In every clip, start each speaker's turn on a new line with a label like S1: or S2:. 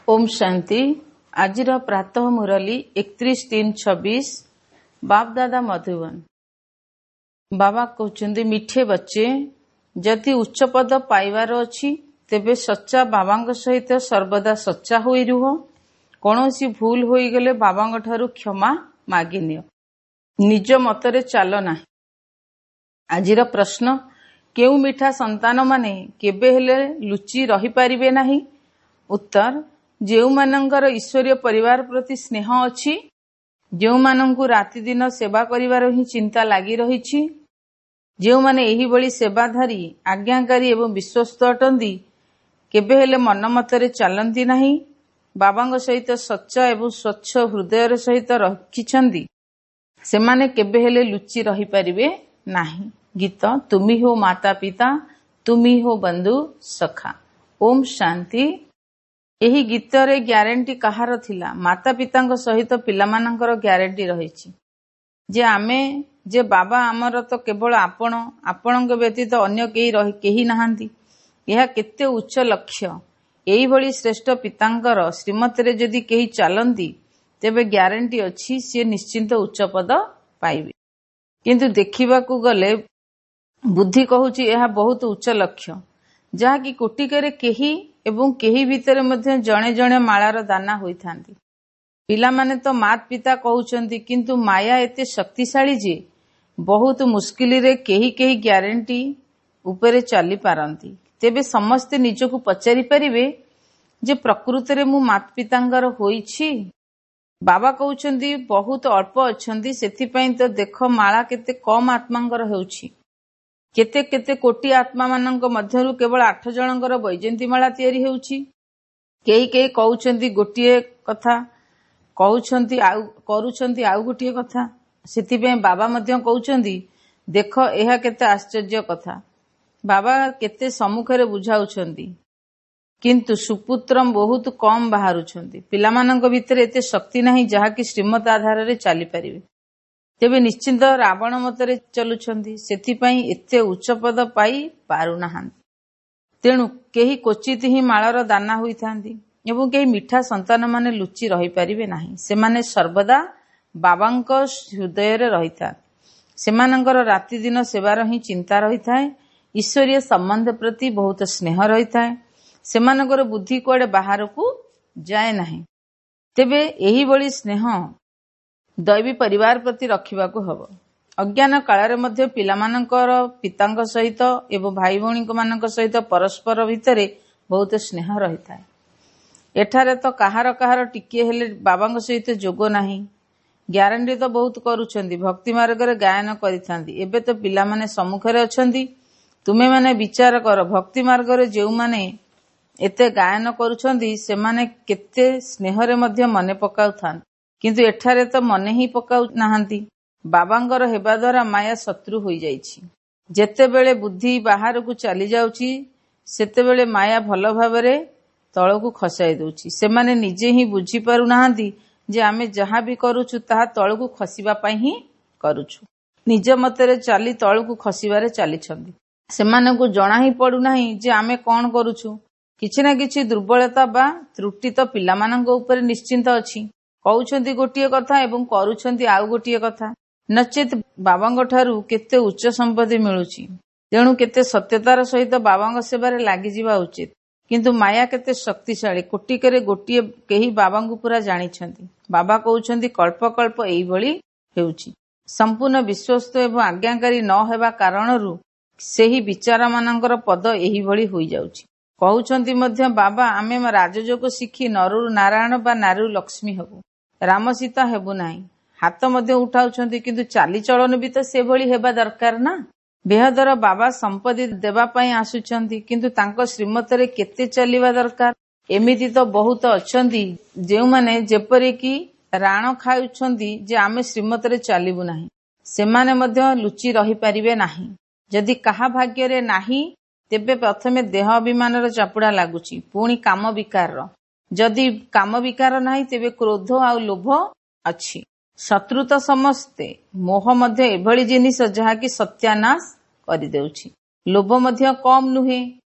S1: ଓମ୍ ଶାନ୍ତି। ଆଜିର ପ୍ରାତଃ ମୁରଲୀ 31/3/26, ବାପଦାଦା ମଧୁବନ। ବାବା କହୁଛନ୍ତି, ମିଠେ ବଚ୍ଚେ, ଯଦି ଉଚ୍ଚ ପଦ ପାଇବାର ଅଛି ତେବେ ସଚ୍ଚା ବାବାଙ୍କ ସହିତ ସର୍ବଦା ସଚ୍ଚା ହୋଇ ରୁହ। କୌଣସି ଭୁଲ ହୋଇଗଲେ ବାବାଙ୍କ ଠାରୁ କ୍ଷମା ମାଗିନିଅ, ନିଜ ମତରେ ଚାଲ ନାହିଁ। ଆଜିର ପ୍ରଶ୍ନ, କେଉଁ ମିଠା ସନ୍ତାନମାନେ କେବେ ହେଲେ ଲୁଚି ରହିପାରିବେ ନାହିଁ? ଉତ୍ତର, ଯେଉଁମାନଙ୍କର ଈଶ୍ୱରୀୟ ପରିବାର ପ୍ରତି ସ୍ନେହ ଅଛି, ଯେଉଁମାନଙ୍କୁ ରାତିଦିନ ସେବା କରିବାର ହିଁ ଚିନ୍ତା ଲାଗି ରହିଛି, ଯେଉଁମାନେ ଏହିଭଳି ସେବାଧାରୀ, ଆଜ୍ଞାକାରୀ ଏବଂ ବିଶ୍ୱସ୍ତ ଅଟନ୍ତି, କେବେ ହେଲେ ମନ ମତରେ ଚାଲନ୍ତି ନାହିଁ, ବାବାଙ୍କ ସହିତ ସଚ୍ଚା ଏବଂ ସ୍ୱଚ୍ଛ ହୃଦୟର ସହିତ ରଖିଛନ୍ତି, ସେମାନେ କେବେ ହେଲେ ଲୁଚି ରହିପାରିବେ ନାହିଁ। ଗୀତ, ତୁମି ହୋ ମାତା ପିତା, ତୁମି ହୋ ବନ୍ଧୁ ସଖା। ଓମ୍ ଶାନ୍ତି। ଏହି ଗୀତରେ ଗ୍ୟାରେଣ୍ଟି କାହାର ଥିଲା? ମାତା ପିତାଙ୍କ ସହିତ ପିଲାମାନଙ୍କର ଗ୍ୟାରେଣ୍ଟି ରହିଛି ଯେ ଆମେ ଯେ ବାବା ଆମର ତ କେବଳ ଆପଣ, ଆପଣଙ୍କ ବ୍ୟତୀତ ଅନ୍ୟ କେହି ନାହାନ୍ତି। ଏହା କେତେ ଉଚ୍ଚ ଲକ୍ଷ୍ୟ! ଏହିଭଳି ଶ୍ରେଷ୍ଠ ପିତାଙ୍କର ଶ୍ରୀମତରେ ଯଦି କେହି ଚାଲନ୍ତି ତେବେ ଗ୍ୟାରେଣ୍ଟି ଅଛି ସିଏ ନିଶ୍ଚିନ୍ତ ଉଚ୍ଚ ପଦ ପାଇବେ। କିନ୍ତୁ ଦେଖିବାକୁ ଗଲେ ବୁଦ୍ଧି କହୁଛି ଏହା ବହୁତ ଉଚ୍ଚ ଲକ୍ଷ୍ୟ, ଯାହାକି କୋଟିକରେ କେହି ଏବଂ କେହି ଭିତରେ ମଧ୍ୟ ଜଣେ ଜଣେ ମାଳାର ଦାନା ହୋଇଥାନ୍ତି। ପିଲାମାନେ ତ ମାତ ପିତା କହୁଛନ୍ତି, କିନ୍ତୁ ମାୟା ଏତେ ଶକ୍ତିଶାଳୀ ଯେ ବହୁତ ମୁସ୍କିଲରେ କେହି କେହି ଗ୍ୟାରେଣ୍ଟି ଉପରେ ଚାଲିପାରନ୍ତି। ତେବେ ସମସ୍ତେ ନିଜକୁ ପଚାରି ପାରିବେ ଯେ ପ୍ରକୃତରେ ମୁଁ ମାତ ପିତାଙ୍କର ହୋଇଛି? ବାବା କହୁଛନ୍ତି ବହୁତ ଅଳ୍ପ ଅଛନ୍ତି, ସେଥିପାଇଁ ତ ଦେଖ ମାଳା କେତେ କମ୍ ଆତ୍ମାଙ୍କର ହେଉଛି। କେତେ କେତେ କୋଟି ଆତ୍ମାମାନଙ୍କ ମଧ୍ୟରୁ କେବଳ 8 ଜଣଙ୍କର ବୈଜୟନ୍ତୀ ମାଳା ତିଆରି ହେଉଛି। କେହି କେହି କହୁଛନ୍ତି ଗୋଟିଏ କଥା, କହୁଛନ୍ତି ଆଉ କରୁଛନ୍ତି ଆଉ ଗୋଟିଏ କଥା। ସେଥିପାଇଁ ବାବା ମଧ୍ୟ କହୁଛନ୍ତି, ଦେଖ ଏହା କେତେ ଆଶ୍ଚର୍ଯ୍ୟ କଥା। ବାବା କେତେ ସମ୍ମୁଖରେ ବୁଝାଉଛନ୍ତି, କିନ୍ତୁ ସୁପୁତ୍ର ବହୁତ କମ୍ ବାହାରୁଛନ୍ତି। ପିଲାମାନଙ୍କ ଭିତରେ ଏତେ ଶକ୍ତି ନାହିଁ ଯାହାକି ଶ୍ରୀମତ ଆଧାରରେ ଚାଲିପାରିବେ। ତେବେ ନିଶ୍ଚିନ୍ତ ରାବଣ ମତରେ ଚଲୁଛନ୍ତି, ସେଥିପାଇଁ ଏତେ ଉଚ୍ଚ ପଦ ପାଇ ପାରୁନାହାନ୍ତି। ତେଣୁ କେହି କ୍ୱଚିତ ହିଁ ମାଳର ଦାନା ହୋଇଥାନ୍ତି ଏବଂ କେହି ମିଠା ସନ୍ତାନମାନେ ଲୁଚି ରହିପାରିବେ ନାହିଁ। ସେମାନେ ସର୍ବଦା ବାବାଙ୍କ ହୃଦୟରେ ରହିଥାନ୍ତି। ସେମାନଙ୍କର ରାତିଦିନ ସେବାର ହିଁ ଚିନ୍ତା ରହିଥାଏ। ଈଶ୍ୱରୀୟ ସମ୍ବନ୍ଧ ପ୍ରତି ବହୁତ ସ୍ନେହ ରହିଥାଏ। ସେମାନଙ୍କର ବୁଦ୍ଧି କୁଆଡ଼େ ବାହାରକୁ ଯାଏ ନାହିଁ। ତେବେ ଏହିଭଳି ସ୍ନେହ ଦୈବୀ ପରିବାର ପ୍ରତି ରଖିବାକୁ ହେବ। ଅଜ୍ଞାନ କାଳରେ ମଧ୍ୟ ପିଲାମାନଙ୍କର ପିତାଙ୍କ ସହିତ ଏବଂ ଭାଇ ଭଉଣୀମାନଙ୍କ ସହିତ ପରସ୍ପର ଭିତରେ ବହୁତ ସ୍ନେହ ରହିଥାଏ। ଏଠାରେ ତ କାହାର କାହାର ଟିକିଏ ହେଲେ ବାବାଙ୍କ ସହିତ ଯୋଗ ନାହିଁ। ଗ୍ୟାରେଣ୍ଟି ତ ବହୁତ କରୁଛନ୍ତି, ଭକ୍ତି ମାର୍ଗରେ ଗାୟନ କରିଥାନ୍ତି। ଏବେ ତ ପିଲାମାନେ ସମ୍ମୁଖରେ ଅଛନ୍ତି। ତୁମେମାନେ ବିଚାର କର, ଭକ୍ତି ମାର୍ଗରେ ଯେଉଁମାନେ ଏତେ ଗାୟନ କରୁଛନ୍ତି ସେମାନେ କେତେ ସ୍ନେହରେ ମଧ୍ୟ ମନେ ପକାଉଥାନ୍ତି, କିନ୍ତୁ ଏଠାରେ ତ ମନେ ହିଁ ପକାଉ ନାହାନ୍ତି। ବାବାଙ୍କର ହେବା ଦ୍ୱାରା ମାୟା ଶତ୍ରୁ ହୋଇଯାଇଛି। ଯେତେବେଳେ ବୁଦ୍ଧି ବାହାରକୁ ଚାଲି ଯାଉଛି ସେତେବେଳେ ମାୟା ଭଲ ଭାବରେ ତଳକୁ ଖସାଇ ଦେଉଛି। ସେମାନେ ନିଜେ ହିଁ ବୁଝିପାରୁନାହାନ୍ତି ଯେ ଆମେ ଯାହା ବି କରୁଛୁ ତାହା ତଳକୁ ଖସିବା ପାଇଁ ହିଁ କରୁଛୁ। ନିଜ ମତରେ ଚାଲି ତଳକୁ ଖସିବାରେ ଚାଲିଛନ୍ତି। ସେମାନଙ୍କୁ ଜଣା ହିଁ ପଡୁନାହିଁ ଯେ ଆମେ କଣ କରୁଛୁ। କିଛି ନା କିଛି ଦୁର୍ବଳତା ବା ତ୍ରୁଟି ତ ପିଲାମାନଙ୍କ ଉପରେ ନିଶ୍ଚିନ୍ତ ଅଛି। କହୁଛନ୍ତି ଗୋଟିଏ କଥା ଏବଂ କରୁଛନ୍ତି ଆଉ ଗୋଟିଏ କଥା। ନଚେତ ବାବାଙ୍କ ଠାରୁ କେତେ ଉଚ୍ଚ ସମ୍ପତ୍ତି ମିଳୁଛି। ତେଣୁ କେତେ ସତ୍ୟତାର ସହିତ ବାବାଙ୍କ ସେବାରେ ଲାଗିଯିବା ଉଚିତ। କିନ୍ତୁ ମାୟା କେତେ ଶକ୍ତିଶାଳୀ, କୋଟିକରେ ଗୋଟିଏ କେହି ବାବାଙ୍କୁ ପୁରା ଜାଣିଛନ୍ତି। ବାବା କହୁଛନ୍ତି କଳ୍ପ କଳ୍ପ ଏଇଭଳି ହେଉଛି। ସମ୍ପୂର୍ଣ୍ଣ ବିଶ୍ୱସ୍ତ ଏବଂ ଆଜ୍ଞାକାରୀ ନ ହେବା କାରଣରୁ ସେହି ବିଚାରମାନଙ୍କର ପଦ ଏହିଭଳି ହୋଇଯାଉଛି। କହୁଛନ୍ତି ମଧ୍ୟ ବାବା, ଆମେ ରାଜଯୋଗ ଶିଖି ନରରୁ ନାରାୟଣ ବା ନାରୀରୁ ଲକ୍ଷ୍ମୀ ହେବୁ, ରାମ ସୀତା ହେବୁ ନାହିଁ। ହାତ ମଧ୍ୟ ଉଠାଉଛନ୍ତି, କିନ୍ତୁ ଚାଲିଚଳନ ବି ତ ସେଭଳି ହେବା ଦରକାର ନା। ବେହଦର ବାବା ସମ୍ପତ୍ତି ଦେବା ପାଇଁ ଆସୁଛନ୍ତି, କିନ୍ତୁ ତାଙ୍କ ଶ୍ରୀମତରେ କେତେ ଚାଲିବା ଦରକାର। ଏମିତି ତ ବହୁତ ଅଛନ୍ତି ଯେଉଁମାନେ ଯେପରିକି ରାଣ ଖାଉଛନ୍ତି ଯେ ଆମେ ଶ୍ରୀମତରେ ଚାଲିବୁ ନାହିଁ। ସେମାନେ ମଧ୍ୟ ଲୁଚି ରହିପାରିବେ ନାହିଁ। ଯଦି କାହା ଭାଗ୍ୟରେ ନାହିଁ ତେବେ ପ୍ରଥମେ ଦେହ ଅଭିମାନର ଚାପୁଡ଼ା ଲାଗୁଛି, ପୁଣି କାମ ବିକାରର। ଯଦି କାମ ବିକାର ନାହିଁ ତେବେ କ୍ରୋଧ ଆଉ ଲୋଭ ଅଛି। ଶତ୍ରୁ ତ ସମସ୍ତେ। ମୋହ ମଧ୍ୟ ଏଭଳି ଜିନିଷ ଯାହାକି ସତ୍ୟାନାଶ କରିଦେଉଛି। ଲୋଭ ମଧ୍ୟ କମ୍ ନୁହେଁ।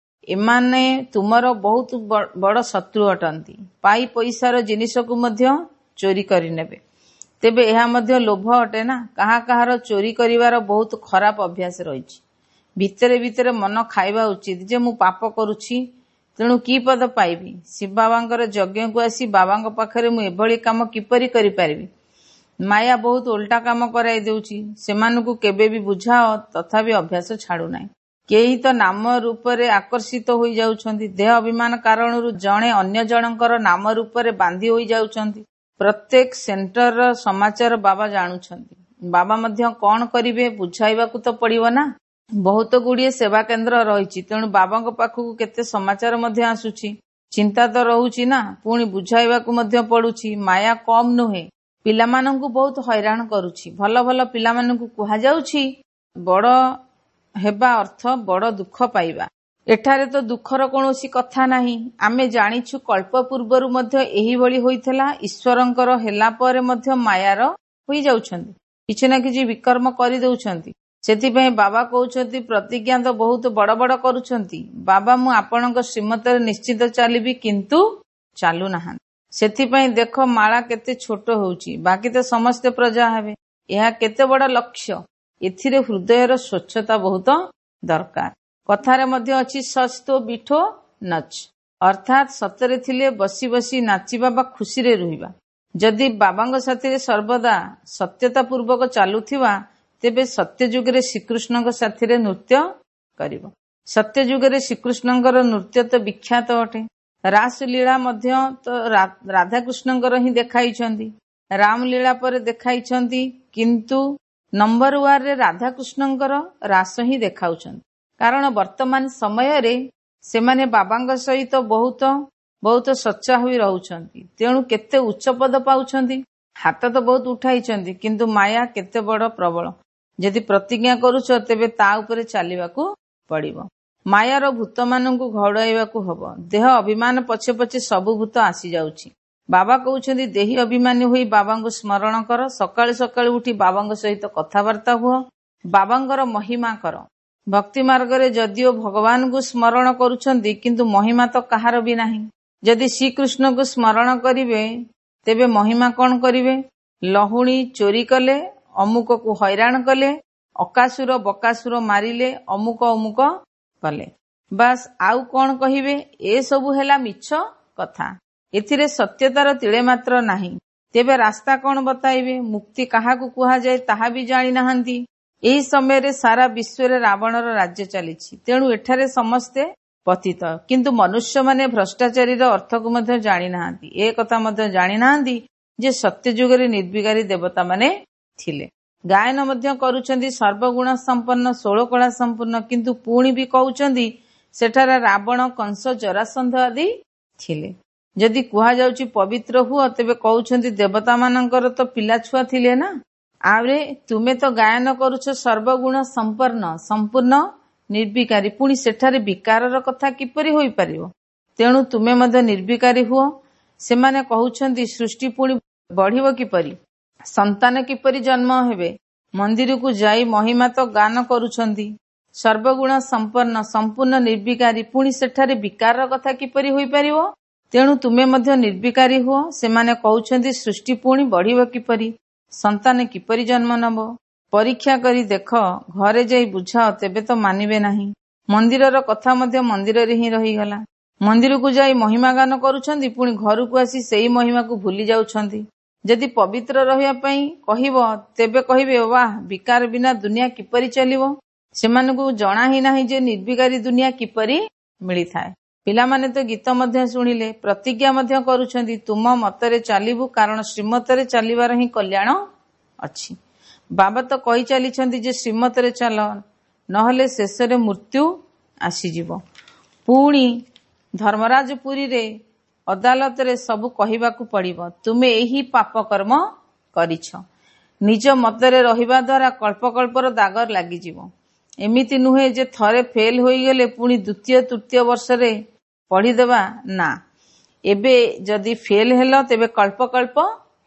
S1: ଏମାନେ ତୁମର ବହୁତ ବଡ଼ ଶତ୍ରୁ ଅଟନ୍ତି। ପାଇ ପଇସାର ଜିନିଷକୁ ମଧ୍ୟ ଚୋରି କରିନେବେ। ତେବେ ଏହା ମଧ୍ୟ ଲୋଭ ଅଟେ ନା? କାହା କାହାର ଚୋରି କରିବାର ବହୁତ ଖରାପ ଅଭ୍ୟାସ ରହିଛି। ଭିତରେ ଭିତରେ ମନ ଖାଇବା ଉଚିତ ଯେ ମୁଁ ପାପ କରୁଛି, ତେଣୁ କି ପଦ ପାଇବି? ଶିବ ବାବାଙ୍କର ଯଜ୍ଞକୁ ଆସି ବାବାଙ୍କ ପାଖରେ ମୁଁ ଏଭଳି କାମ କିପରି କରିପାରିବି? ମାୟା ବହୁତ ଓଲଟା କାମ କରାଇ ଦେଉଛି। ସେମାନଙ୍କୁ କେବେ ବି ବୁଝାଅ, ତଥାପି ଅଭ୍ୟାସ ଛାଡୁନାହିଁ। କେହି ତ ନାମ ରୂପରେ ଆକର୍ଷିତ ହୋଇଯାଉଛନ୍ତି। ଦେହ ଅଭିମାନ କାରଣରୁ ଜଣେ ଅନ୍ୟ ଜଣଙ୍କର ନାମ ରୂପରେ ବାନ୍ଧି ହୋଇଯାଉଛନ୍ତି। ପ୍ରତ୍ୟେକ ସେଣ୍ଟରର ସମାଚାର ବାବା ଜାଣୁଛନ୍ତି। ବାବା ମଧ୍ୟ କଣ କରିବେ, ବୁଝାଇବାକୁ ତ ପଡିବ ନା। ବହୁତ ଗୁଡ଼ିଏ ସେବା କେନ୍ଦ୍ର ରହିଛି, ତେଣୁ ବାବାଙ୍କ ପାଖକୁ କେତେ ସମାଚାର ମଧ୍ୟ ଆସୁଛି। ଚିନ୍ତା ତ ରହୁଛି ନା, ପୁଣି ବୁଝାଇବାକୁ ମଧ୍ୟ ପଡୁଛି। ମାୟା କମ୍ ନୁହେଁ, ପିଲାମାନଙ୍କୁ ବହୁତ ହଇରାଣ କରୁଛି। ଭଲ ଭଲ ପିଲାମାନଙ୍କୁ କୁହାଯାଉଛି ବଡ ହେବା ଅର୍ଥ ବଡ ଦୁଃଖ ପାଇବା। ଏଠାରେ ତ ଦୁଃଖର କୌଣସି କଥା ନାହିଁ। ଆମେ ଜାଣିଛୁ କଳ୍ପ ପୂର୍ବରୁ ମଧ୍ୟ ଏହିଭଳି ହୋଇଥିଲା। ଈଶ୍ୱରଙ୍କର ହେଲା ପରେ ମଧ୍ୟ ମାୟାର ହୋଇଯାଉଛନ୍ତି, କିଛି ନା କିଛି ବିକର୍ମ କରିଦେଉଛନ୍ତି। ସେଥିପାଇଁ ବାବା କହୁଛନ୍ତି ପ୍ରତିଜ୍ଞା ତ ବହୁତ ବଡ ବଡ କରୁଛନ୍ତି। ବାବା, ମୁଁ ଆପଣଙ୍କ ଶ୍ରୀମତରେ ନିଶ୍ଚିତ ଚାଲିବି, କିନ୍ତୁ ଚାଲୁନାହାନ୍ତି। ସେଥିପାଇଁ ଦେଖ ମାଳା କେତେ ଛୋଟ ହେଉଛି, ବାକି ତ ସମସ୍ତେ ପ୍ରଜା ହେବେ। ଏହା କେତେ ବଡ ଲକ୍ଷ୍ୟ। ଏଥିରେ ହୃଦୟର ସ୍ୱଚ୍ଛତା ବହୁତ ଦରକାର। କଥାରେ ମଧ୍ୟ ଅଛି ସଚ୍ ତୋ ବିଠୋ ନଚ୍, ଅର୍ଥାତ୍ ସତରେ ଥିଲେ ବସି ବସି ନାଚିବା ବା ଖୁସିରେ ରହିବା। ଯଦି ବାବାଙ୍କ ସାଥିରେ ସର୍ବଦା ସତ୍ୟତା ପୂର୍ବକ ଚାଲୁଥିବା, ତେବେ ସତ୍ୟଯୁଗରେ ଶ୍ରୀକୃଷ୍ଣଙ୍କ ସାଥିରେ ନୃତ୍ୟ କରିବ। ସତ୍ୟଯୁଗରେ ଶ୍ରୀକୃଷ୍ଣଙ୍କର ନୃତ୍ୟ ତ ବିଖ୍ୟାତ ଅଟେ। ରାସଲୀଳା ମଧ୍ୟ ତ ରାଧାକୃଷ୍ଣଙ୍କର ହିଁ ଦେଖାଇଛନ୍ତି, ରାମଲୀଳା ପରେ ଦେଖାଇଛନ୍ତି, କିନ୍ତୁ ନମ୍ବର 1ରେ ରାଧାକୃଷ୍ଣଙ୍କର ରାସ ହିଁ ଦେଖାଉଛନ୍ତି। କାରଣ ବର୍ତ୍ତମାନ ସମୟରେ ସେମାନେ ବାବାଙ୍କ ସହିତ ବହୁତ ବହୁତ ସଚ୍ଚା ହୋଇ ରହୁଛନ୍ତି, ତେଣୁ କେତେ ଉଚ୍ଚ ପଦ ପାଉଛନ୍ତି। ହାତ ତ ବହୁତ ଉଠାଇଛନ୍ତି, କିନ୍ତୁ ମାୟା କେତେ ବଡ ପ୍ରବଳ। ଯଦି ପ୍ରତିଜ୍ଞା କରୁଛ ତେବେ ତା ଉପରେ ଚାଲିବାକୁ ପଡିବ। ମାୟାର ଭୂତମାନଙ୍କୁ ଘଉଡାଇବାକୁ ହବ। ଦେହ ଅଭିମାନ ପଛେ ପଛେ ସବୁ ଭୂତ ଆସିଯାଉଛି। ବାବା କହୁଛନ୍ତି ଦେହି ଅଭିମାନୀ ହୋଇ ବାବାଙ୍କୁ ସ୍ମରଣ କର। ସକାଳୁ ସକାଳୁ ଉଠି ବାବାଙ୍କ ସହିତ କଥାବାର୍ତ୍ତା ହୁଅ, ବାବାଙ୍କର ମହିମା କର। ଭକ୍ତି ମାର୍ଗରେ ଯଦିଓ ଭଗବାନଙ୍କୁ ସ୍ମରଣ କରୁଛନ୍ତି, କିନ୍ତୁ ମହିମା ତ କାହାର ବି ନାହିଁ। ଯଦି ଶ୍ରୀକୃଷ୍ଣଙ୍କୁ ସ୍ମରଣ କରିବେ ତେବେ ମହିମା କଣ କରିବେ? ଲହୁଣୀ ଚୋରି କଲେ, ଅମୁକକୁ ହଇରାଣ କଲେ, ଅକାସୁର ବକାସୁର ମାରିଲେ, ଅମୁକ ଅମୁକ କଲେ, ବାସ୍ ଆଉ କଣ କହିବେ? ଏସବୁ ହେଲା ମିଛ କଥା। ଏଥିରେ ସତ୍ୟତାର ତିଳେ ମାତ୍ର ନାହିଁ। ତେବେ ରାସ୍ତା କଣ ବତାଇବେ? ମୁକ୍ତି କାହାକୁ କୁହାଯାଏ ତାହା ବି ଜାଣିନାହାନ୍ତି। ଏହି ସମୟରେ ସାରା ବିଶ୍ୱରେ ରାବଣର ରାଜ୍ୟ ଚାଲିଛି, ତେଣୁ ଏଠାରେ ସମସ୍ତେ ପତିତ। କିନ୍ତୁ ମନୁଷ୍ୟମାନେ ଭ୍ରଷ୍ଟାଚାରୀର ଅର୍ଥକୁ ମଧ୍ୟ ଜାଣିନାହାନ୍ତି। ଏ କଥା ମଧ୍ୟ ଜାଣିନାହାନ୍ତି ଯେ ସତ୍ୟଯୁଗରେ ନିର୍ବିକାରୀ ଦେବତାମାନେ ଥିଲେ। ଗାୟନ ମଧ୍ୟ କରୁଛନ୍ତି ସର୍ବଗୁଣ ସମ୍ପନ୍ନ, ଷୋଳକଳା ସମ୍ପୂର୍ଣ୍ଣ, କିନ୍ତୁ ପୁଣି ବି କହୁଛନ୍ତି ସେଠାରେ ରାବଣ, କଂସ, ଜରାସନ୍ଧ ଆଦି ଥିଲେ। ଯଦି କୁହାଯାଉଛି ପବିତ୍ର ହୁଅ, ତେବେ କହୁଛନ୍ତି ଦେବତାମାନଙ୍କର ତ ପିଲା ଛୁଆ ଥିଲେ ନା। ଆରେ ତୁମେ ତ ଗାୟନ କରୁଛ ସର୍ବଗୁଣ ସମ୍ପନ୍ନ, ସମ୍ପୂର୍ଣ୍ଣ ନିର୍ବିକାରୀ, ପୁଣି ସେଠାରେ ବିକାରର କଥା କିପରି ହୋଇପାରିବ? ତେଣୁ ତୁମେ ମଧ୍ୟ ନିର୍ବିକାରୀ ହୁଅ। ସେମାନେ କହୁଛନ୍ତି ସୃଷ୍ଟି ପୁଣି ବଢିବ କିପରି? ସନ୍ତାନ କିପରି ଜନ୍ମ ହେବେ? ମନ୍ଦିରକୁ ଯାଇ ମହିମା ତ ଗାନ କରୁଛନ୍ତି ସର୍ବଗୁଣ ସମ୍ପନ୍ନ, ସମ୍ପୂର୍ଣ୍ଣ ନିର୍ବିକାରୀ, ପୁଣି ସେଠାରେ ବିକାରର କଥା କିପରି ହୋଇପାରିବ? ତେଣୁ ତୁମେ ମଧ୍ୟ ନିର୍ବିକାରୀ ହୁଅ। ସେମାନେ କହୁଛନ୍ତି ସୃଷ୍ଟି ପୁଣି ବଢିବ କିପରି? ସନ୍ତାନ କିପରି ଜନ୍ମ ନେବ? ପରୀକ୍ଷା କରି ଦେଖ, ଘରେ ଯାଇ ବୁଝାଅ, ତେବେ ତ ମାନିବେ ନାହିଁ। ମନ୍ଦିରର କଥା ମଧ୍ୟ ମନ୍ଦିରରେ ହିଁ ରହିଗଲା। ମନ୍ଦିରକୁ ଯାଇ ମହିମା ଗାନ କରୁଛନ୍ତି, ପୁଣି ଘରକୁ ଆସି ସେଇ ମହିମାକୁ ଭୁଲି ଯାଉଛନ୍ତି। ଯଦି ପବିତ୍ର ରହିବା ପାଇଁ କହିବ, ତେବେ କହିବେ ବାଃ, ବିକାର ବିନା ଦୁନିଆ କିପରି ଚାଲିବ? ସେମାନଙ୍କୁ ଜଣା ହିଁ ନାହିଁ ଯେ ନିର୍ବିକାରୀ ଦୁନିଆ କିପରି ମିଳିଥାଏ। ପିଲାମାନେ ତ ଗୀତ ମଧ୍ୟ ଶୁଣିଲେ, ପ୍ରତିଜ୍ଞା ମଧ୍ୟ କରୁଛନ୍ତି ତୁମ ମତରେ ଚାଲିବୁ, କାରଣ ଶ୍ରୀମତରେ ଚାଲିବାର ହିଁ କଲ୍ୟାଣ ଅଛି। ବାବା ତ କହି ଚାଲିଛନ୍ତି ଯେ ଶ୍ରୀମତରେ ଚାଲ, ନହେଲେ ଶେଷରେ ମୃତ୍ୟୁ ଆସିଯିବ। ପୁଣି ଧର୍ମରାଜପୁରୀରେ ଅଦାଲତରେ ସବୁ କହିବାକୁ ପଡିବ, ତୁମେ ଏହି ପାପ କର୍ମ କରିଛ। ନିଜ ମତରେ ରହିବା ଦ୍ୱାରା କଳ୍ପ କଳ୍ପର ଦାଗ ଲାଗିଯିବ। ଏମିତି ନୁହେଁ ଯେ ଥରେ ଫେଲ ହୋଇଗଲେ ପୁଣି ଦ୍ୱିତୀୟ ତୃତୀୟ ବର୍ଷରେ ପଢିଦେବା, ନା। ଏବେ ଯଦି ଫେଲ ହେଲ ତେବେ କଳ୍ପ କଳ୍ପ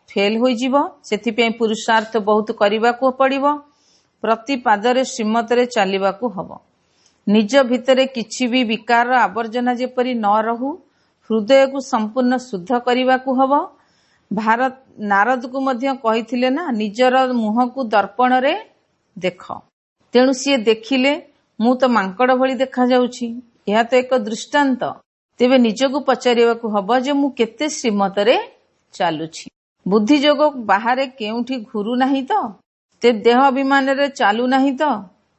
S1: ଫେଲ ହୋଇଯିବ। ସେଥିପାଇଁ ପୁରୁଷାର୍ଥ ବହୁତ କରିବାକୁ ପଡିବ। ପ୍ରତି ପାଦରେ ଶ୍ରୀମତରେ ଚାଲିବାକୁ ହବ। ନିଜ ଭିତରେ କିଛି ବି ବିକାରର ଆବର୍ଜନା ଯେପରି ନ ରହୁ, ହୃଦୟକୁ ସମ୍ପୂର୍ଣ୍ଣ ଶୁଦ୍ଧ କରିବାକୁ ହବ। ଭାରତ ନାରଦକୁ ମଧ୍ୟ କହିଥିଲେ ନା, ନିଜର ମୁହଁକୁ ଦର୍ପଣରେ ଦେଖ। ତେଣୁ ସିଏ ଦେଖିଲେ, ମୁଁ ତ ମାଙ୍କଡ଼ ଭଳି ଦେଖାଯାଉଛି। ଏହା ତ ଏକ ଦୃଷ୍ଟାନ୍ତ। ତେବେ ନିଜକୁ ପଚାରିବାକୁ ହବ ଯେ ମୁଁ କେତେ ଶ୍ରୀମତରେ ଚାଲୁଛି। ବୁଦ୍ଧି ଯୋଗ ବାହାରେ କେଉଁଠି ଘୁରୁ ନାହିଁ ତ? ଦେହ ଅଭିମାନରେ ଚାଲୁ ନାହିଁ ତ?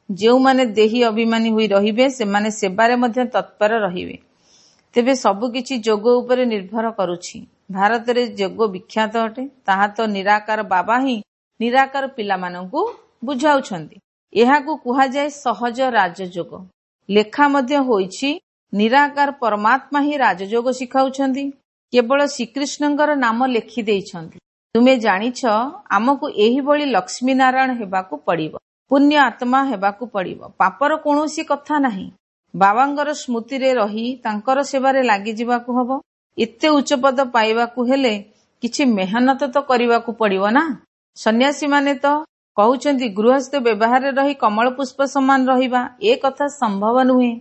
S1: ଯେଉଁମାନେ ଦେହୀ ଅଭିମାନୀ ହୋଇ ରହିବେ, ସେମାନେ ସେବାରେ ମଧ୍ୟ ତତ୍ପର ରହିବେ। ତେବେ ସବୁକିଛି ଯୋଗ ଉପରେ ନିର୍ଭର କରୁଛି। ଭାରତରେ ଯୋଗ ବିଖ୍ୟାତ ଅଟେ। ତାହା ତ ନିରାକାର ବାବା ହିଁ ନିରାକାର ପିଲାମାନଙ୍କୁ ବୁଝାଉଛନ୍ତି। ଏହାକୁ କୁହାଯାଏ ସହଜ ରାଜଯୋଗ। ଲେଖା ମଧ୍ୟ ହୋଇଛି, ନିରାକାର ପରମାତ୍ମା ହିଁ ରାଜଯୋଗ ଶିଖାଉଛନ୍ତି। କେବଳ ଶ୍ରୀକୃଷ୍ଣଙ୍କର ନାମ ଲେଖି ଦେଇଛନ୍ତି। ତୁମେ ଜାଣିଛ, ଆମକୁ ଏହିଭଳି ଲକ୍ଷ୍ମୀ ନାରାୟଣ ହେବାକୁ ପଡ଼ିବ, ପୁଣ୍ୟ ଆତ୍ମା ହେବାକୁ ପଡ଼ିବ। ପାପର କୌଣସି କଥା ନାହିଁ। ବାବାଙ୍କର ସ୍ମୃତିରେ ରହି ତାଙ୍କର ସେବାରେ ଲାଗିଯିବାକୁ ହବ। ଏତେ ଉଚ୍ଚ ପଦ ପାଇବାକୁ ହେଲେ କିଛି ମେହନତ ତ କରିବାକୁ ପଡ଼ିବ ନା। ସନ୍ନ୍ୟାସୀମାନେ ତ କହୁଛନ୍ତି ଗୃହସ୍ଥ ବ୍ୟବହାରରେ ରହି କମଳ ପୁଷ୍ପ ସମାନ ରହିବା, ଏ କଥା ସମ୍ଭବ ନୁହେଁ।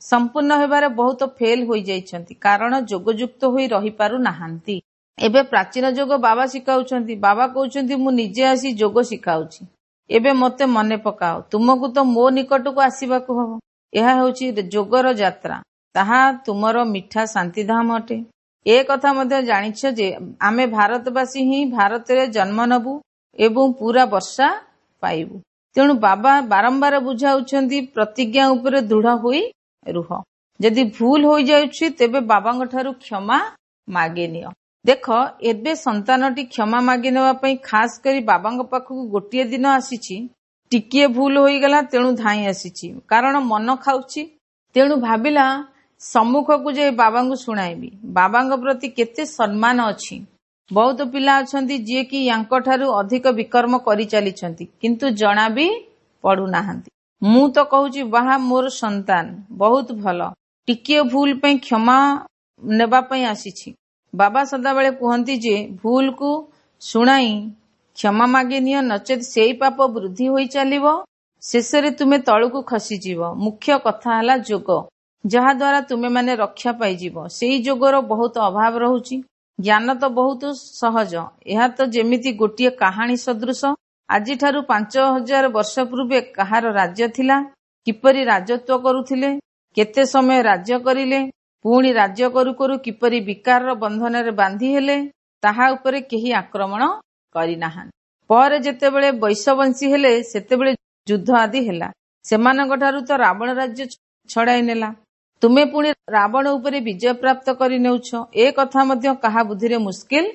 S1: ସମ୍ପୂର୍ଣ୍ଣ ହେବାରେ ବହୁତ ଫେଲ ହୋଇଯାଇଛନ୍ତି, କାରଣ ଯୋଗଯୁକ୍ତ ହୋଇ ରହିପାରୁ ନାହାନ୍ତି। ଏବେ ପ୍ରାଚୀନ ଯୋଗ ବାବା ଶିଖାଉଛନ୍ତି। ବାବା କହୁଛନ୍ତି, ମୁଁ ନିଜେ ଆସି ଯୋଗ ଶିଖାଉଛି, ଏବେ ମତେ ମନେ ପକାଅ। ତୁମକୁ ତ ମୋ ନିକଟକୁ ଆସିବାକୁ ହବ। ଏହା ହେଉଛି ଯୋଗର ଯାତ୍ରା। ତାହା ତୁମର ମିଠା ଶାନ୍ତିଧାମ ଅଟେ। ଏ କଥା ମଧ୍ୟ ଜାଣିଛ ଯେ ଆମେ ଭାରତବାସୀ ହିଁ ଭାରତରେ ଜନ୍ମ ନେବୁ ଏବଂ ପୁରା ବର୍ଷା ପାଇବୁ। ତେଣୁ ବାବା ବାରମ୍ବାର ବୁଝାଉଛନ୍ତି, ପ୍ରତିଜ୍ଞା ଉପରେ ଦୃଢ ହୋଇ ରୁହ। ଯଦି ଭୁଲ ହୋଇଯାଉଛି, ତେବେ ବାବାଙ୍କ ଠାରୁ କ୍ଷମା ମାଗି ନିଅ। ଦେଖ, ଏବେ ସନ୍ତାନଟି କ୍ଷମା ମାଗି ନେବା ପାଇଁ ଖାସ କରି ବାବାଙ୍କ ପାଖକୁ ଗୋଟିଏ ଦିନ ଆସିଛି। ଟିକିଏ ଭୁଲ ହୋଇଗଲା, ତେଣୁ ଧାଇଁ ଆସିଛି, କାରଣ ମନ ଖାଉଛି। ତେଣୁ ଭାବିଲା ସମ୍ମୁଖକୁ ଯାଇ ବାବାଙ୍କୁ ଶୁଣାଇବି। ବାବାଙ୍କ ପ୍ରତି କେତେ ସମ୍ମାନ ଅଛି। ବହୁତ ପିଲା ଅଛନ୍ତି ଯିଏକି ୟାଙ୍କ ଠାରୁ ଅଧିକ ବିକର୍ମ କରିଚାଲିଛନ୍ତି, କିନ୍ତୁ ଜଣା ବି ପଡୁନାହାନ୍ତି। ମୁଁ ତ କହୁଛି, ବାହା, ମୋର ସନ୍ତାନ ବହୁତ ଭଲ, ଟିକିଏ ଭୁଲ ପାଇଁ କ୍ଷମା ନେବା ପାଇଁ ଆସିଛି। ବାବା ସଦାବେଳେ କୁହନ୍ତି ଯେ ଭୁଲକୁ ଶୁଣାଇ କ୍ଷମା ମାଗି ନିଅ, ନଚେତ ସେଇ ପାପ ବୃଦ୍ଧି ହୋଇ ଚାଲିବ, ଶେଷରେ ତୁମେ ତଳକୁ ଖସିଯିବ। ମୁଖ୍ୟ କଥା ହେଲା ଯୋଗ, ଯାହାଦ୍ୱାରା ତୁମେମାନେ ରକ୍ଷା ପାଇଯିବ। ସେଇ ଯୋଗର ବହୁତ ଅଭାବ ରହୁଛି। ଜ୍ଞାନ ତ ବହୁତ ସହଜ। ଏହା ତ ଯେମିତି ଗୋଟିଏ କାହାଣୀ ସଦୃଶ। ଆଜିଠାରୁ 5000 ବର୍ଷ ପୂର୍ବେ କାହାର ରାଜ୍ୟ ଥିଲା, କିପରି ରାଜତ୍ୱ କରୁଥିଲେ, କେତେ ସମୟ ରାଜ୍ୟ କରିଲେ, ପୁଣି ରାଜ୍ୟ କରୁ କରୁ କିପରି ବିକାରର ବନ୍ଧନରେ ବାନ୍ଧି ହେଲେ, ତାହା ଉପରେ କେହି ଆକ୍ରମଣ କରିନାହାନ୍ତି। ପରେ ଯେତେବେଳେ ବୈଶବଂଶୀ ହେଲେ, ସେତେବେଳେ ଯୁଦ୍ଧ ଆଦି ହେଲା। ସେମାନଙ୍କ ଠାରୁ ତ ରାବଣ ରାଜ୍ୟ ଛଡାଇ ନେଲା। ତୁମେ ପୁଣି ରାବଣ ଉପରେ ବିଜୟ ପ୍ରାପ୍ତ କରି ନେଉଛ। ଏ କଥା ମଧ୍ୟ କାହା ବୁଦ୍ଧିରେ ମୁସ୍କିଲ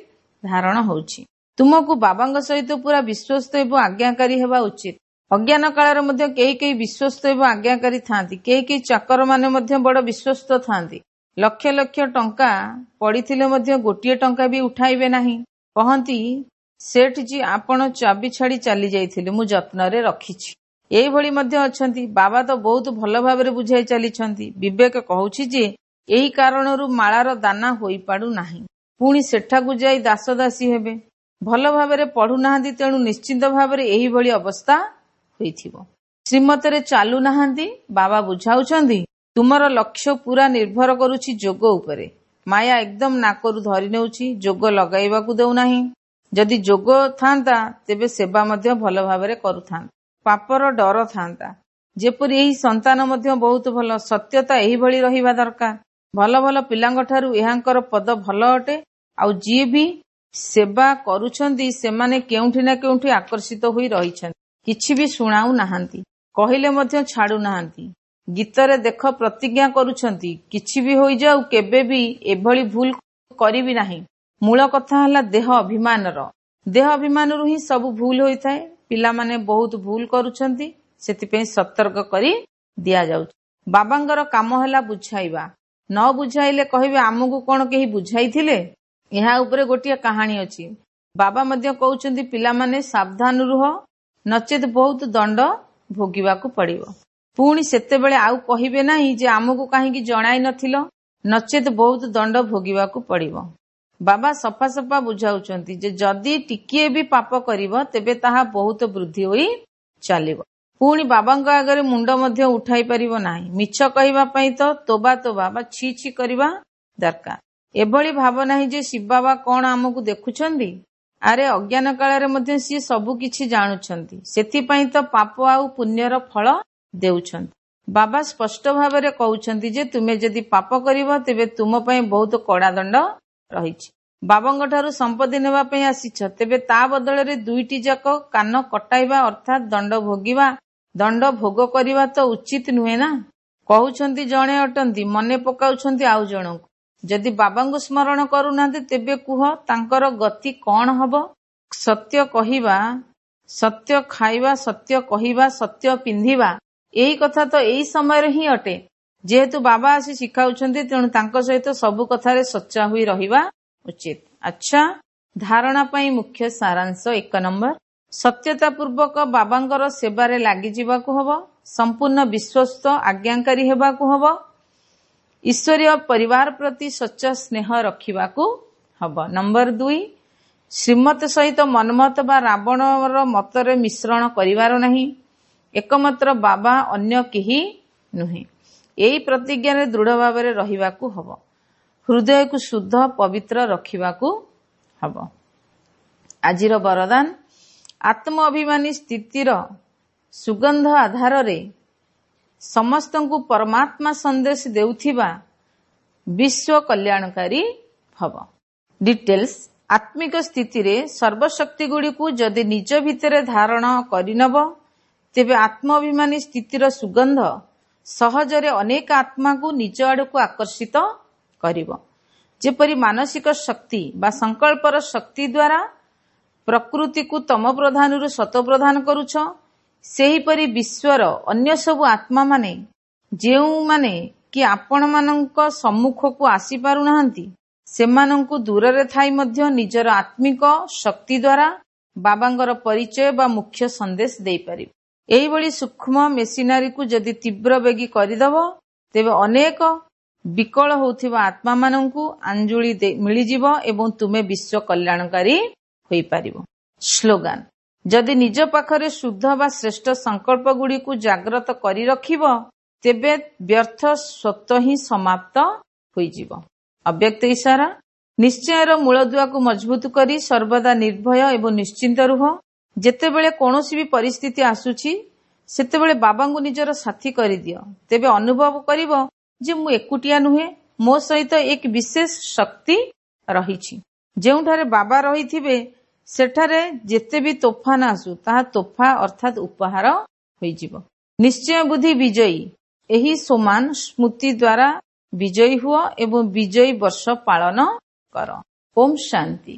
S1: ଧାରଣ ହେଉଛି। ତୁମକୁ ବାବାଙ୍କ ସହିତ ପୁରା ବିଶ୍ୱସ୍ତ ଏବଂ ଆଜ୍ଞାକାରୀ ହେବା ଉଚିତ। ଅଜ୍ଞାନ କାଳରେ ମଧ୍ୟ କେହି କେହି ବିଶ୍ୱସ୍ତ ଏବଂ ଆଜ୍ଞାକାରୀ ଥାନ୍ତି। କେହି କେହି ଚାକରମାନେ ମଧ୍ୟ ବଡ ବିଶ୍ୱସ୍ତ ଥାନ୍ତି। ଲକ୍ଷ ଲକ୍ଷ ଟଙ୍କା ପଡିଥିଲେ ମଧ୍ୟ ଗୋଟିଏ ଟଙ୍କା ବି ଉଠାଇବେ ନାହିଁ। କହନ୍ତି, ସେଠଜୀ, ଆପଣ ଚାବି ଛାଡି ଚାଲି ଯାଇଥିଲେ, ମୁଁ ଯତ୍ନରେ ରଖିଛି। ଏଇଭଳି ମଧ୍ୟ ଅଛନ୍ତି। ବାବା ତ ବହୁତ ଭଲ ଭାବରେ ବୁଝାଇ ଚାଲିଛନ୍ତି। ବିବେକ କହୁଛି ଯେ ଏହି କାରଣରୁ ମାଳାର ଦାନା ହୋଇପାରୁ ନାହିଁ। ପୁଣି ସେଠାକୁ ଯାଇ ଦାସ ଦାସୀ ହେବେ। ଭଲ ଭାବରେ ପଢୁନାହାନ୍ତି, ତେଣୁ ନିଶ୍ଚିନ୍ତ ଭାବରେ ଏହିଭଳି ଅବସ୍ଥା ହୋଇଥିବ। ଶ୍ରୀମତରେ ଚାଲୁ ନାହାନ୍ତି। ବାବା ବୁଝାଉଛନ୍ତି, ତୁମର ଲକ୍ଷ୍ୟ ପୁରା ନିର୍ଭର କରୁଛି ଯୋଗ ଉପରେ। ମାୟା ଏକଦମ ନାକରୁ ଧରି ନେଉଛି, ଯୋଗ ଲଗାଇବାକୁ ଦେଉନାହିଁ। ଯଦି ଯୋଗ ଥାନ୍ତା, ତେବେ ସେବା ମଧ୍ୟ ଭଲ ଭାବରେ କରୁଥାନ୍ତା, ପାପର ଡର ଥାନ୍ତା। ଯେପରି ଏହି ସନ୍ତାନ ମଧ୍ୟ ବହୁତ ଭଲ, ସତ୍ୟତା ଏହିଭଳି ରହିବା ଦରକାର। ଭଲ ଭଲ ପିଲାଙ୍କ ଠାରୁ ଏହାଙ୍କର ପଦ ଭଲ ଅଟେ। ଆଉ ଯିଏ ବି ସେବା କରୁଛନ୍ତି, ସେମାନେ କେଉଁଠି ନା କେଉଁଠି ଆକର୍ଷିତ ହୋଇ ରହିଛନ୍ତି। କିଛି ବି ଶୁଣାଉ ନାହାନ୍ତି, କହିଲେ ମଧ୍ୟ ଛାଡୁନାହାନ୍ତି। ଗୀତରେ ଦେଖ, ପ୍ରତିଜ୍ଞା କରୁଛନ୍ତି, କିଛି ବି ହୋଇଯାଉ କେବେ ବି ଏଭଳି ଭୁଲ କରିବି ନାହିଁ। ମୂଳ କଥା ହେଲା ଦେହ ଅଭିମାନର। ଦେହ ଅଭିମାନରୁ ହିଁ ସବୁ ଭୁଲ ହୋଇଥାଏ। ପିଲାମାନେ ବହୁତ ଭୁଲ କରୁଛନ୍ତି, ସେଥିପାଇଁ ସତର୍କ କରି ଦିଆଯାଉଛି। ବାବାଙ୍କର କାମ ହେଲା ବୁଝାଇବା। ନ ବୁଝାଇଲେ କହିବେ, ଆମକୁ କଣ କେହି ବୁଝାଇଥିଲେ? ଏହା ଉପରେ ଗୋଟିଏ କାହାଣୀ ଅଛି। ବାବା ମଧ୍ୟ କହୁଛନ୍ତି, ପିଲାମାନେ ସାବଧାନ ରୁହ, ନଚେତ ବହୁତ ଦଣ୍ଡ ଭୋଗିବାକୁ ପଡିବ। ପୁଣି ସେତେବେଳେ ଆଉ କହିବେ ନାହିଁ ଯେ ଆମକୁ କାହିଁକି ଜଣାଇ ନଥିଲ, ନଚେତ ବହୁତ ଦଣ୍ଡ ଭୋଗିବାକୁ ପଡିବ। ବାବା ସଫା ସଫା ବୁଝାଉଛନ୍ତି ଯେ ଯଦି ଟିକିଏ ବି ପାପ କରିବ, ତେବେ ତାହା ବହୁତ ବୃଦ୍ଧି ହୋଇ ଚାଲିବ। ପୁଣି ବାବାଙ୍କ ଆଗରେ ମୁଣ୍ଡ ମଧ୍ୟ ଉଠାଇ ପାରିବ ନାହିଁ। ମିଛ କହିବା ପାଇଁ ତ ତୋବା ତୋବା ବା ଛି ଛି କରିବା ଦରକାର। ଏଭଳି ଭାବ ନାହିଁ ଯେ ଶିବ ବାବା କଣ ଆମକୁ ଦେଖୁଛନ୍ତି। ଆରେ ଅଜ୍ଞାନ କାଳରେ ମଧ୍ୟ ସିଏ ସବୁ କିଛି ଜାଣୁଛନ୍ତି, ସେଥିପାଇଁ ତ ପାପ ଆଉ ପୁଣ୍ୟର ଫଳ ଦେଉଛନ୍ତି। ବାବା ସ୍ପଷ୍ଟ ଭାବରେ କହୁଛନ୍ତି ଯେ ତୁମେ ଯଦି ପାପ କରିବ ତେବେ ତୁମ ପାଇଁ ବହୁତ କଡା ଦଣ୍ଡ ରହିଛି। ବାବାଙ୍କ ଠାରୁ ସମ୍ପତ୍ତି ନେବା ପାଇଁ ଆସିଛ, ତେବେ ତା ବଦଳରେ ଦୁଇଟି ଯାକ କାନ କଟାଇବା ଅର୍ଥାତ୍ ଦଣ୍ଡ ଭୋଗିବା, ଦଣ୍ଡ ଭୋଗ କରିବା ତ ଉଚିତ ନୁହେଁ ନା। କହୁଛନ୍ତି ଜଣେ ଅଟନ୍ତି, ମନେ ପକାଉଛନ୍ତି ଆଉ ଜଣଙ୍କୁ। ଯଦି ବାବାଙ୍କୁ ସ୍ମରଣ କରୁନାହାନ୍ତି ତେବେ କୁହ ତାଙ୍କର ଗତି କଣ ହବ? ସତ୍ୟ କହିବା, ସତ୍ୟ ଖାଇବା, ସତ୍ୟ କହିବା, ସତ୍ୟ ପିନ୍ଧିବା, ଏହି କଥା ତ ଏଇ ସମୟରେ ହିଁ ଅଟେ। ଯେହେତୁ ବାବା ଆସି ଶିଖାଉଛନ୍ତି, ତେଣୁ ତାଙ୍କ ସହିତ ସବୁ କଥାରେ ସଚ୍ଚା ହୋଇ ରହିବା ଉଚିତ। ଆଚ୍ଛା, ଧାରଣା ପାଇଁ ମୁଖ୍ୟ ସାରାଂଶ। 1 ନମ୍ବର, ସତ୍ୟତା ପୂର୍ବକ ବାବାଙ୍କର ସେବାରେ ଲାଗିଯିବାକୁ ହବ। ସମ୍ପୂର୍ଣ୍ଣ ବିଶ୍ୱସ୍ତ ଆଜ୍ଞାକାରୀ ହେବାକୁ ହବ। ଈଶ୍ୱରୀୟ ପରିବାର ପ୍ରତି ସଚ୍ଚା ସ୍ନେହ ରଖିବାକୁ ହବ। ନମ୍ବର 2, ଶ୍ରୀମତ ସହିତ ମନ୍ମତ ବା ରାବଣର ମତରେ ମିଶ୍ରଣ କରିବାର ନାହିଁ। ଏକମାତ୍ର ବାବା, ଅନ୍ୟ କେହି ନୁହେଁ। ଏହି ପ୍ରତିଜ୍ଞାରେ ଦୃଢ ଭାବରେ ରହିବାକୁ ହବ। ହୃଦୟକୁ ଶୁଦ୍ଧ ପବିତ୍ର ରଖିବାକୁ ହବ। ଆଜିର ବରଦାନ, ଆତ୍ମ ଅଭିମାନୀ ସ୍ଥିତିର ସୁଗନ୍ଧ ଆଧାରରେ ସମସ୍ତଙ୍କୁ ପରମାତ୍ମା ସନ୍ଦେଶ ଦେଉଥିବା ବିଶ୍ୱ କଲ୍ୟାଣକାରୀ ଭବ। ଡିଟେଲ୍ସ, ଆତ୍ମିକ ସ୍ଥିତିରେ ସର୍ବଶକ୍ତିଗୁଡ଼ିକୁ ଯଦି ନିଜ ଭିତରେ ଧାରଣ କରିନବ, ତେବେ ଆତ୍ମ ଅଭିମାନୀ ସ୍ଥିତିର ସୁଗନ୍ଧ ସହଜରେ ଅନେକ ଆତ୍ମାକୁ ନିଜ ଆଡ଼କୁ ଆକର୍ଷିତ କରିବ। ଯେପରି ମାନସିକ ଶକ୍ତି ବା ସଂକଳ୍ପର ଶକ୍ତି ଦ୍ୱାରା ପ୍ରକୃତିକୁ ତମ ପ୍ରଧାନରୁ ସତ ପ୍ରଧାନ କରୁଛ, ସେହିପରି ବିଶ୍ୱର ଅନ୍ୟ ସବୁ ଆତ୍ମାମାନେ ଯେଉଁମାନେ କି ଆପଣମାନଙ୍କ ସମ୍ମୁଖକୁ ଆସିପାରୁନାହାନ୍ତି, ସେମାନଙ୍କୁ ଦୂରରେ ଥାଇ ମଧ୍ୟ ନିଜର ଆତ୍ମିକ ଶକ୍ତି ଦ୍ୱାରା ବାବାଙ୍କର ପରିଚୟ ବା ମୁଖ୍ୟ ସନ୍ଦେଶ ଦେଇପାରିବ। ଏହିଭଳି ସୂକ୍ଷ୍ମ ମେସିନାରୀକୁ ଯଦି ତୀବ୍ର ବେଗୀ କରିଦେବ, ତେବେ ଅନେକ ବିକଳ ହେଉଥିବା ଆତ୍ମାମାନଙ୍କୁ ଆଞ୍ଜୁଳି ମିଳିଯିବ ଏବଂ ତୁମେ ବିଶ୍ୱ କଲ୍ୟାଣକାରୀ ହୋଇପାରିବ। ସ୍ଲୋଗାନ, ଯଦି ନିଜ ପାଖରେ ଶୁଦ୍ଧ ବା ଶ୍ରେଷ୍ଠ ସଂକଳ୍ପ ଗୁଡ଼ିକୁ ଜାଗ୍ରତ କରି ରଖିବ, ତେବେ ବ୍ୟର୍ଥ ସ୍ୱତଃ ହିଁ ସମାପ୍ତ ହୋଇଯିବ। ଅବ୍ୟକ୍ତ ଇଶାରା, ନିଶ୍ଚୟର ମୂଳଦୁଆକୁ ମଜବୁତ କରି ସର୍ବଦା ନିର୍ଭୟ ଏବଂ ନିଶ୍ଚିନ୍ତ ରୁହ। ଯେତେବେଳେ କୌଣସି ବି ପରିସ୍ଥିତି ଆସୁଛି, ସେତେବେଳେ ବାବାଙ୍କୁ ନିଜର ସାଥୀ କରିଦିଅ। ତେବେ ଅନୁଭବ କରିବ ଯେ ମୁଁ ଏକୁଟିଆ ନୁହେଁ, ମୋ ସହିତ ଏକ ବିଶେଷ ଶକ୍ତି ରହିଛି। ଯେଉଁଠାରେ ବାବା ରହିଥିବେ, ସେଠାରେ ଯେତେ ବି ତୋଫାନ ଆସୁ, ତାହା ତୋଫା ଅର୍ଥାତ୍ ଉପହାର ହୋଇଯିବ। ନିଶ୍ଚୟ ବୁଦ୍ଧି ବିଜୟୀ, ଏହି ସମାନ ସ୍ମୃତି ଦ୍ୱାରା ବିଜୟୀ ହୁଅ ଏବଂ ବିଜୟୀ ବର୍ଷ ପାଳନ କର। ଓମ୍ ଶାନ୍ତି।